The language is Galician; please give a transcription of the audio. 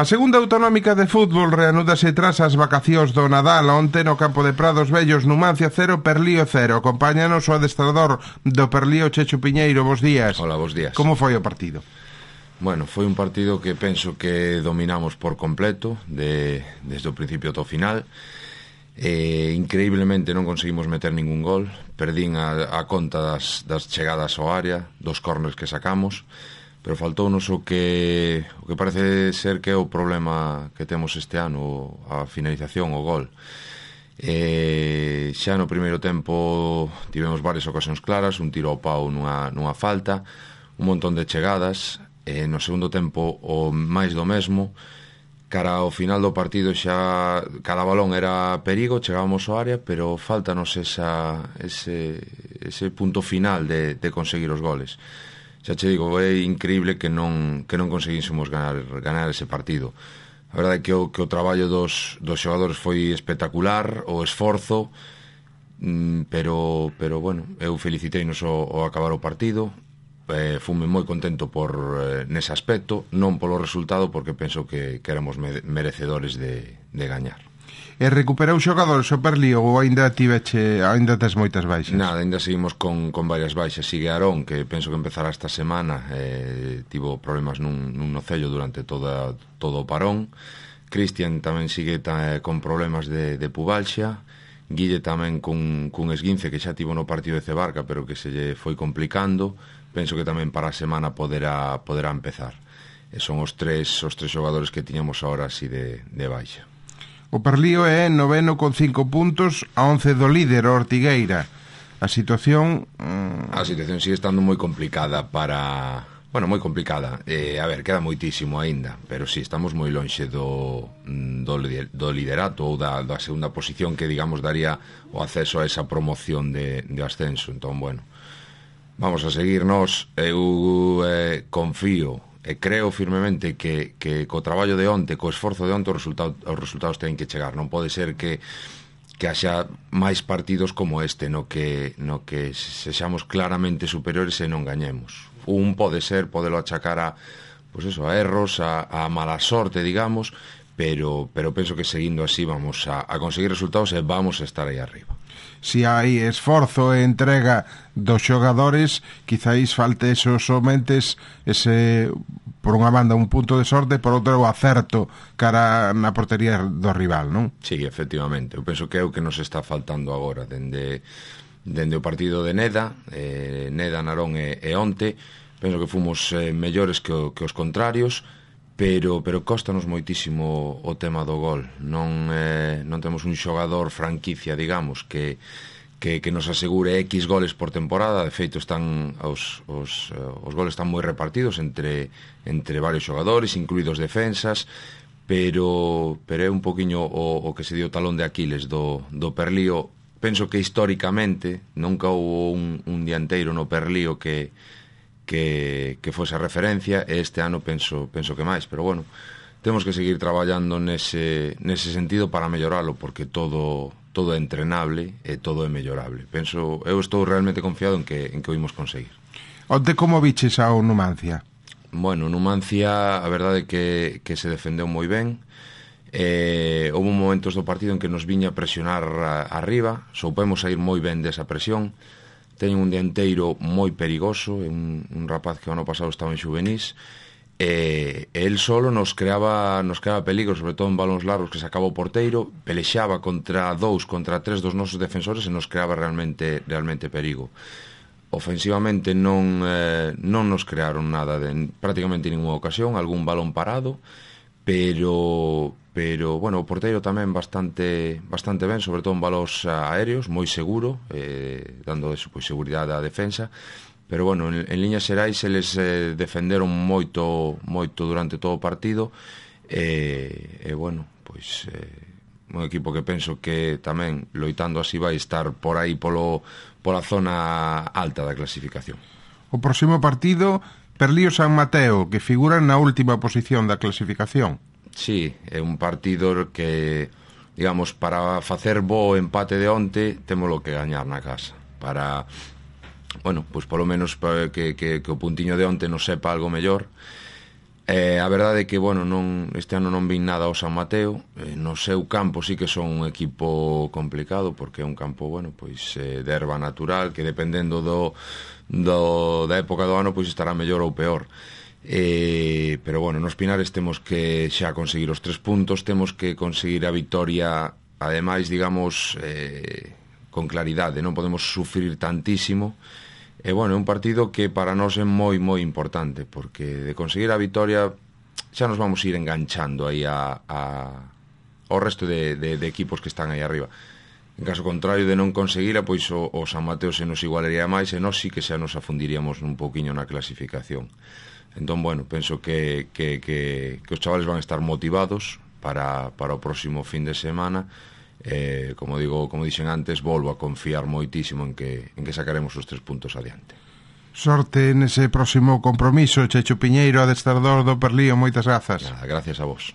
A segunda autonómica de fútbol reanúdase tras as vacacións do Nadal. Onte no campo de Prados Vellos, Numancia 0, Perlío 0. Acompáñanos o adestrador do Perlío, Chechu Piñeiro. Bos días. Hola, bos días. Como foi o partido? Bueno, foi un partido que penso que dominamos por completo desde o principio ao final. Increíblemente non conseguimos meter ningún gol. Perdín a conta das chegadas ao área, dos córners que sacamos, pero faltounos o que parece ser que é o problema que temos este ano, a finalización, o gol. Xa no primeiro tempo tivemos varias ocasións claras, un tiro ao pau nunha falta, un montón de chegadas. No segundo tempo o máis do mesmo. Cara ao final do partido xa cada balón era perigo, chegábamos ao área, pero faltanos ese punto final de conseguir os goles. Xa che digo, é increíble que non conseguísemos ganar ese partido. A verdade é que o traballo dos xogadores foi espectacular, o esforzo, pero bueno, eu feliciteinos ao acabar o partido. Fume moi contento por nese aspecto, non polo resultado, porque penso que éramos merecedores de gañar. E recuperou xogadores o Perlío ou ainda tes moitas baixas? Nada, ainda seguimos con varias baixas. Sigue Aarón, que penso que empezará esta semana, tivo problemas nun nocello durante todo o parón. Cristian tamén sigue con problemas de pubalxia. Guille tamén cun esguince que xa tivo no partido de Cebarca, pero que se lle foi complicando. Penso que tamén para a semana poderá empezar. Son os tres xogadores que tiñamos ahora así de baixa. O Perlío é noveno con 5 puntos, a 11 do líder, o Ortigueira. A situación... A situación sigue estando moi complicada moi complicada. A ver, queda moitísimo aínda, pero sí, estamos moi lonxe do liderato ou da segunda posición que, digamos, daría o acceso a esa promoción de ascenso. Entón, bueno, vamos a seguir nós. Eu confío e creo firmemente que co traballo de onte, co esforzo de onte, os resultados teñen que chegar. Non pode ser que haxa máis partidos como este no que sexamos claramente superiores e non gañemos. Un podelo achacar a erros, a mala sorte, digamos, pero penso que seguindo así vamos a conseguir resultados e vamos a estar aí arriba. Si hai esforzo e entrega dos xogadores, quizáis falte somente por unha banda un punto de sorte, por outra o acerto cara na portería do rival, non? Sí, efectivamente, eu penso que é o que nos está faltando agora dende o partido de Neda, Narón e onte. Penso que fomos mellores que os contrarios, pero costanos moitísimo o tema do gol. Non temos un xogador franquicia, digamos, que nos asegure X goles por temporada. De feito, os goles están moi repartidos entre varios xogadores, incluídos defensas, pero é un poquinho o que se dio talón de Aquiles do Perlío. Penso que históricamente nunca houve un dianteiro no Perlío que fose a referencia, e este ano penso que máis, pero bueno, temos que seguir traballando nese sentido para melloralo, porque todo é entrenable e todo é mellorable. Eu estou realmente confiado en que o imos conseguir. Onte como viches ao Numancia? Bueno, Numancia, a verdade é que se defendeu moi ben. Houve momentos do partido en que nos viña a presionar arriba, soupemos sair moi ben desa presión. Teñen un dianteiro moi perigoso, un rapaz que o ano pasado estaba en xuvenís, e el solo nos creaba peligro, sobre todo en balóns largos que sacaba o porteiro, pelexaba contra 3 dos nosos defensores e nos creaba realmente perigo. Ofensivamente non nos crearon nada prácticamente ninguna ocasión, algún balón parado, pero bueno, o porteiro tamén bastante ben, sobre todo en balóns aéreos, moi seguro, dando seguridade á defensa. Pero bueno, en liñas xerais eles defenderon moito durante todo o partido, e bueno, pois un equipo que penso que tamén loitando así vai estar por aí pola zona alta da clasificación. O próximo partido, Perlío San Mateo, que figura na última posición da clasificación. Sí, é un partido que, digamos, para facer bo empate de onte, témolo que gañar na casa. Para, bueno, pois polo menos que o puntiño de onte nos sepa algo mellor. A verdade é que, bueno, este ano non vin nada ao San Mateo. No seu campo sí que son un equipo complicado, porque é un campo, bueno, pois de erva natural, que dependendo da época do ano, pois estará mellor ou peor. Pero, bueno, nos Pinares temos que xa conseguir os 3 puntos, temos que conseguir a vitoria, ademais, digamos, con claridade, non podemos sufrir tantísimo. E, bueno, é un partido que para nós é moi, moi importante, porque de conseguir a vitoria xa nos vamos ir enganchando aí ao resto de equipos que están aí arriba. En caso contrario de non conseguira, pois o San Mateo se nos igualaría máis, e nós sí que xa nos afundiríamos un pouquiño na clasificación. Entón, bueno, penso que os chavales van a estar motivados para o próximo fin de semana. Como dixen antes, volvo a confiar moitísimo en que sacaremos os 3 puntos adiante. Sorte nese próximo compromiso, Checho Piñeiro, adestrador do Perlío, moitas grazas. Nada, gracias a vos.